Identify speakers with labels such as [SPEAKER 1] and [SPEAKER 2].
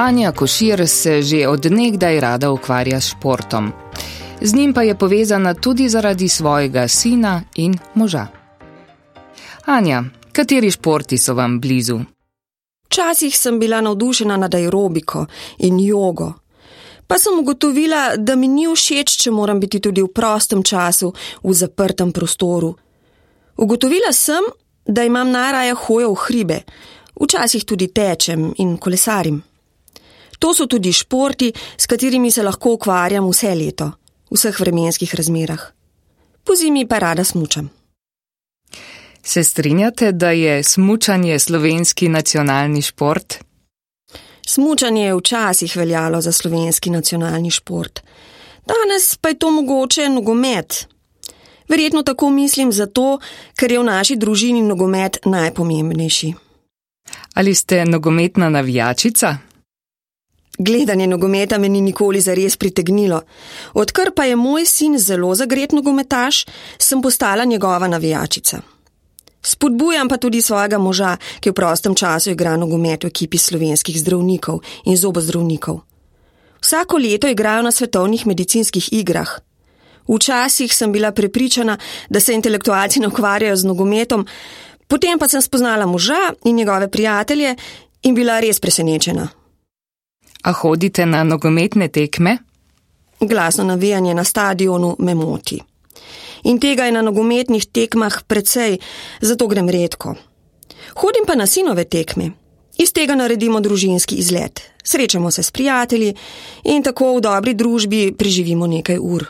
[SPEAKER 1] Anja Košir se že od nekdaj rada ukvarja s športom. Z njim pa je povezana tudi zaradi svojega sina in moža. Anja, kateri športi so vam blizu?
[SPEAKER 2] Včasih sem bila navdušena nad aerobiko in jogo. Pa sem ugotovila, da mi ni všeč, če moram biti tudi v prostem času, v zaprtem prostoru. Ugotovila sem, da imam najraje hojo v hribe, včasih tudi tečem in kolesarim. To so tudi športi, s katerimi se lahko ukvarjam vse leto, v vseh vremenskih razmerah. Pozimi pa rada smučam.
[SPEAKER 1] Se strinjate, da je smučanje slovenski nacionalni šport?
[SPEAKER 2] Smučanje je včasih veljalo za slovenski nacionalni šport. Danes pa je to mogoče nogomet. Verjetno tako mislim zato, ker je v naši družini nogomet najpomembnejši.
[SPEAKER 1] Ali ste nogometna navijačica?
[SPEAKER 2] Gledanje nogometa me ni nikoli zares pritegnilo. Odkar pa je moj sin zelo zagret nogometaš, sem postala njegova navijačica. Spodbujam pa tudi svojega moža, ki v prostem času igra nogomet v ekipi slovenskih zdravnikov in zobozdravnikov. Vsako leto igrajo na svetovnih medicinskih igrah. Včasih sem bila prepričana, da se intelektualci ne ukvarjajo z nogometom, potem pa sem spoznala moža in njegove prijatelje in bila res presenečena.
[SPEAKER 1] A hodite na nogometne tekme?
[SPEAKER 2] Glasno navijanje na stadionu me moti. In tega je na nogometnih tekmah precej, zato grem redko. Hodim pa na sinove tekme. Iz tega naredimo družinski izlet. Srečamo se s prijatelji in tako v dobri družbi preživimo nekaj ur.